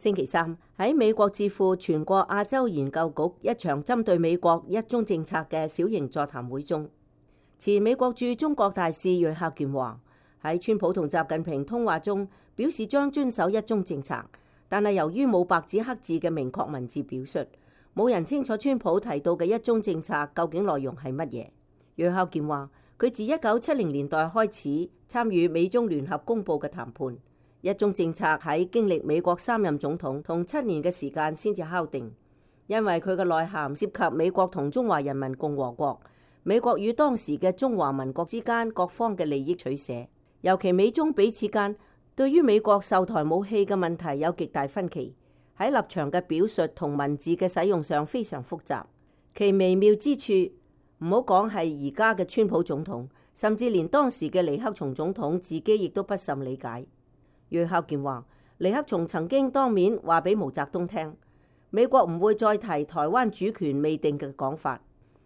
星期三喺美國智庫全國亞洲研究局一場針對美國一中政策嘅小型座談會中，前美國駐中國大使芮孝健話喺川普同習近平通話中表示將遵守一中政策，但係由於冇白紙黑字嘅明確文字表述，冇人清楚川普提到嘅一中政策究竟內容係乜嘢。芮孝健話佢自1970年代開始參與美中聯合公佈嘅談判。一中政策喺經歷美國3任總統同7年嘅時間先至敲定，因為佢嘅內涵涉及美國同中華人民共和國、美國與當時嘅中華民國之間各方嘅利益取捨，尤其美中彼此間對於美國售台武器嘅問題有極大分歧，喺立場嘅表述同文字嘅使用上非常複雜，其微妙之處唔好講係而家嘅川普總統，甚至連當時嘅尼克松總統自己亦都不甚理解。芮孝健話：尼克松曾經當面話俾毛澤東聽，美國唔會再提台灣主權未定嘅講法，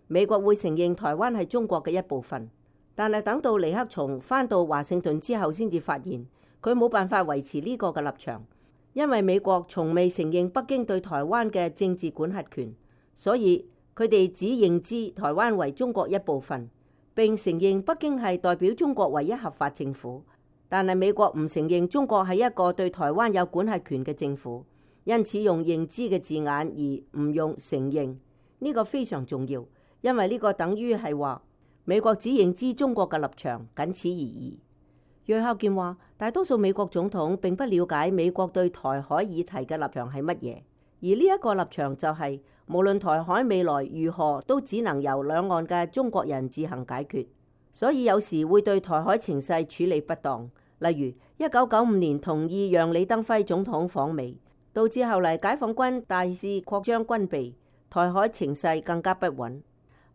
美國會承認台灣係中國嘅一部分。但係等到尼克松返到華盛頓之後，先至發現佢冇辦法維持呢個嘅立場，因為美國從未承認北京對台灣嘅政治管轄權，所以佢哋只認知台灣為中國一部分，並承認北京係代表中國唯一合法政府。但係美國唔承認中國係一個對台灣有管轄權嘅政府，因此用認知嘅字眼而唔用承認，呢個非常重要，因為呢個等於係話美國只認知中國嘅立場，僅此而已。芮孝健話：大多數美國總統並不了解美國對台海議題嘅立場係乜嘢，而呢一個立場就係無論台海未來如何，都只能由兩岸嘅中國人自行解決。所以有時會對台海情勢處理不當，例如1995年同意讓李登輝總統訪美，導致後嚟解放軍大肆擴張軍備，台海情勢更加不穩。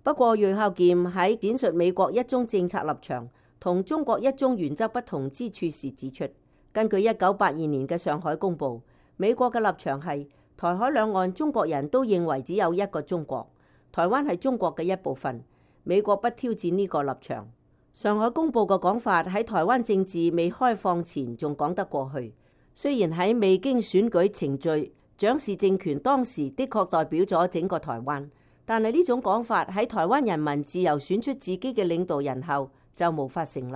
不過芮孝健喺闡述美國一中政策立場同中國一中原則不同之處時指出，根據1982年嘅上海公報，美國嘅立場係台海兩岸中國人都認為只有一個中國，台灣係中國嘅一部分。美國不挑戰呢個立場。上海公報嘅講法喺台灣政治未開放前仲講得過去。雖然喺未經選舉程序，蔣氏政權當時的確代表咗整個台灣，但係呢種講法喺台灣人民自由選出自己嘅領導人後就無法成立。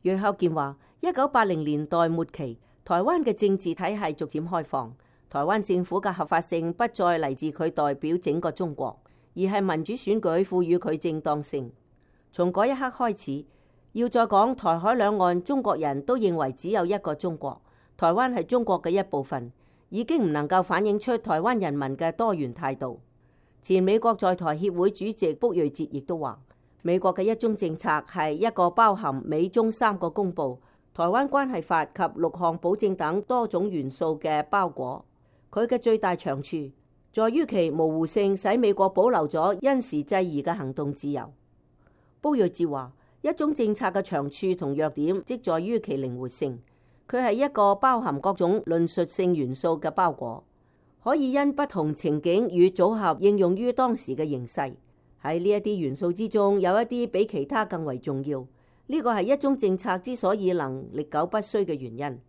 芮孝健話：1980年代末期，台灣嘅政治體系逐漸開放，台灣政府嘅合法性不再嚟自佢代表整個中國，而係民主選舉賦予佢正當性。從嗰一刻開始，要再講台海兩岸中國人都認為只有一個中國，台灣係中國嘅一部分，已經唔能夠反映出台灣人民嘅多元態度。前美國在台協會主席卜瑞哲亦都話，美國嘅一中政策係一個包含美中3個公報、台灣關係法及6項保證等多種元素嘅包裹。佢嘅最大長處在於其模糊性，使美國保留咗因時制宜嘅行動自由。卜瑞哲話：一中政策嘅長處同弱點，即在於其靈活性。佢係一個包含各種論述性元素嘅包裹，可以因不同情景與組合應用於當時嘅形勢。喺呢一啲元素之中，有一啲比其他更為重要。呢個係一中政策之所以能歷久不衰嘅原因。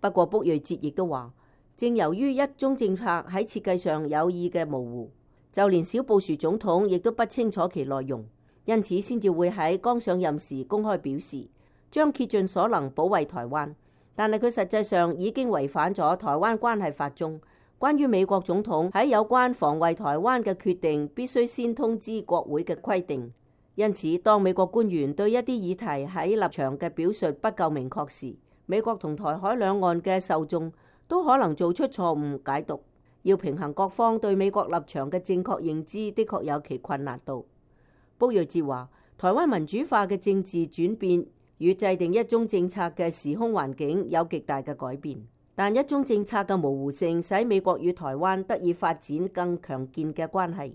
不過卜瑞哲亦都話，正由於一中政策喺設計上有意嘅模糊，就連小布殊總統亦都不清楚其內容，因此先至會喺剛上任時公開表示將竭盡所能保衛台灣。但係佢實際上已經違反咗台灣關係法中關於美國總統喺有關防衛台灣嘅決定必須先通知國會嘅規定。因此，當美國官員對一啲議題喺立場嘅表述不夠明確時，美國同台海兩岸嘅受眾都可能做出錯誤解讀。要平衡各方對美國立場嘅正確認知，的確有其困難度。卜瑞哲話：台灣民主化嘅政治轉變與制定一中政策嘅時空環境有極大嘅改變，但一中政策嘅模糊性使美國與台灣得以發展更強健嘅關係，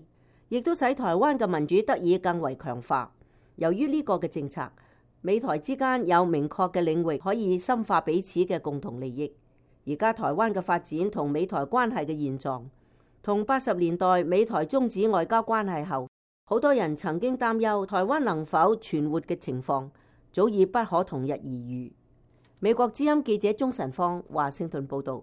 亦都使台灣嘅民主得以更為強化。由於呢個嘅政策，美台之間有明確嘅領域可以深化彼此嘅共同利益。而家台灣嘅發展同美台關係嘅現狀，同80年代美台終止外交關係後，好多人曾經擔憂台灣能否存活嘅情況，早已不可同日而語。美國之音記者鍾晨芳華盛頓報道。